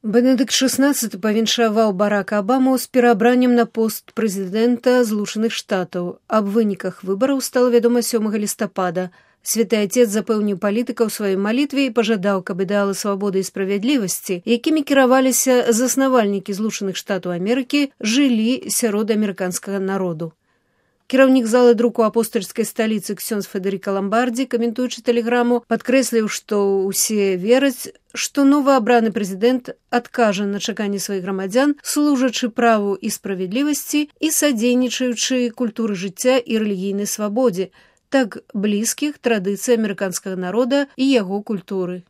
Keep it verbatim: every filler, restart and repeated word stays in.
Бенедыкт шэснаццаты павіншаваў Барака Абаму з пераабраннем на пост прэзідэнта Злучаных Штатаў. Аб выніках выбараў стала вядома сёмага лістапада. Святы Отец запэўніў палітыка ў сваёй малітве і пажадаў, каб ідэалы свабоды і справядлівасці, якімі кіраваліся заснавальнікі Злучаных Штатаў Амерыкі, жылі сярод амерыканскага народу. Кіраўнік залы друку апостальскай сталіцы ксёндз Федэрыка Ламбардзі, каментуючы тэлеграму, падкрэсліў, што ўсе вераць, што новаабраны прэзідэнт адкажа на чаканні сваіх грамадзян, служачы праву і справядлівасці і садзейнічаючы культуры жыцця і рэлігійнай свабодзе, так блізкіх традыцый амерыканскага народа і яго культуры.